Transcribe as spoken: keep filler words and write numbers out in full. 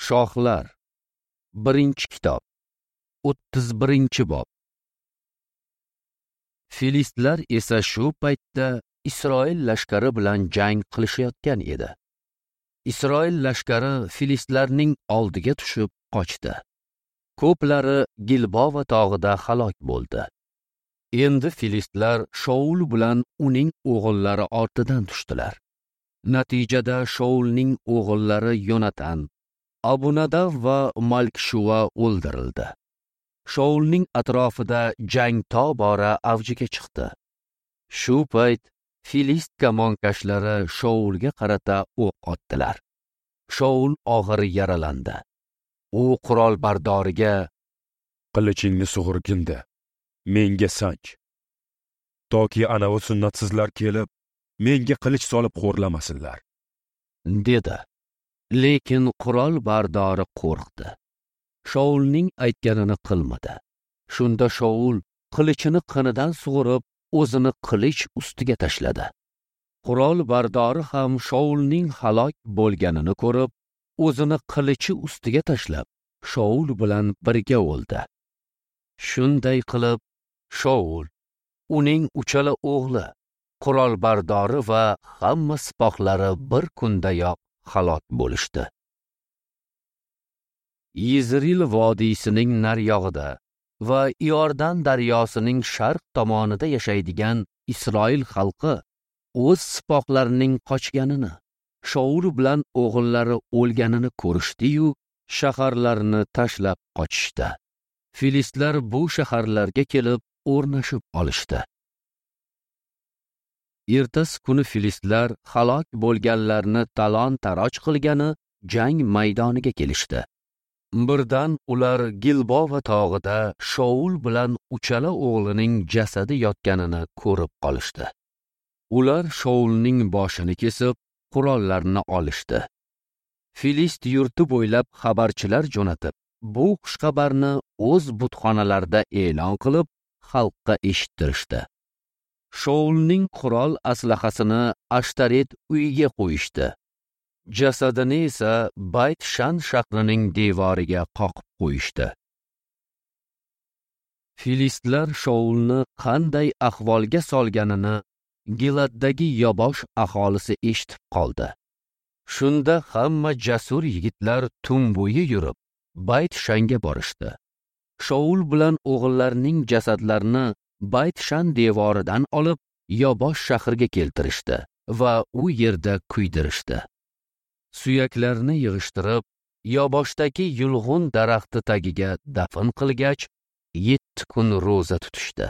Shohlar, birinchi kitob, o'ttiz birinchi bob. Filistlar esa shu paytda Isroil lashkari bilan jang qilishayotgan edi. Isroil lashkari filistlarning oldiga tushib qochdi. Ko'plari Gilbova tog'ida halok bo'ldi. Endi filistlar Shaul bilan uning o'g'illari ortidan tushdilar. Natijada Shaulning o'g'illari Yonatan, Abunadav va Malkshua o'ldirildi. Shaulning atrofida jang tobora avjiga chiqdi. Shu payt filist kamonkashlari Shaulga qarata o'q otdilar. Shaul og'ir yaralandi. U qurol bardoriga: "Qilichingni sug'urginda, menga sanch. Toki anavi sunnatsizlar kelib, menga qilich solib xo'rlamasinlar", dedi. Lekin qurol bardori qo'rqdi. Shaulning aytganini qilmadi. Shunda Shaul qilichini qinidan sug'urib, o'zini qilich ustiga tashladi. Qurol bardori ham Shaulning halok bo'lganini ko'rib, o'zini qilichi ustiga tashlab, Shaul bilan birga o'ldi. Shunday qilib, Shaul, uning uchala o'g'li, qurol bardori va hamma sipohlari bir kundayoq halok bo'lishdi. Yizril vodiysining naryog'ida va Iordan daryosining sharq tomonida yashaydigan Isroil xalqi o'z sipohlarining qochganini, Shaul bilan o'g'illari o'lganini ko'rishdi-yu, shaharlarni tashlab qochishdi. Filistlar bu shaharlarga kelib o'rnashib olishdi. Ertasi kuni filistlar halok bo'lganlarni talon-taroj qilgani jang maydoniga kelishdi. Birdan ular Gilbova tog'ida Shaul bilan uchala o'g'lining jasadi yotganini ko'rib qolishdi. Ular Shaulning boshini kesib, qurollarni olishdi. Filist yurti bo'ylab xabarchilar jo'natib, bu xushxabarni o'z butxonalarida e'lon qilib, xalqqa eshittirishdi. Shaulning qurol aslahasini Ashtaret uyiga qo'yishdi. Jasadini esa Bayt-Shan shahrining devoriga qoqib qo'yishdi. Filistlar Shaulni qanday ahvolga solganini Giladdagi Yobosh aholisi eshitib qoldi. Shunda hamma jasur yigitlar tun bo'yi yurib Bayt-Shanga borishdi. Shaul bilan o'g'illarining jasadlarini Bayt-Shan devoridan olib Yobosh shahriga keltirishdi va u yerda kuydirishdi. Suyaklarni yig'ishtirib, Yoboshdagi yulg'un daraxti tagiga dafn qilgach, yetti kun ro'za tutishdi.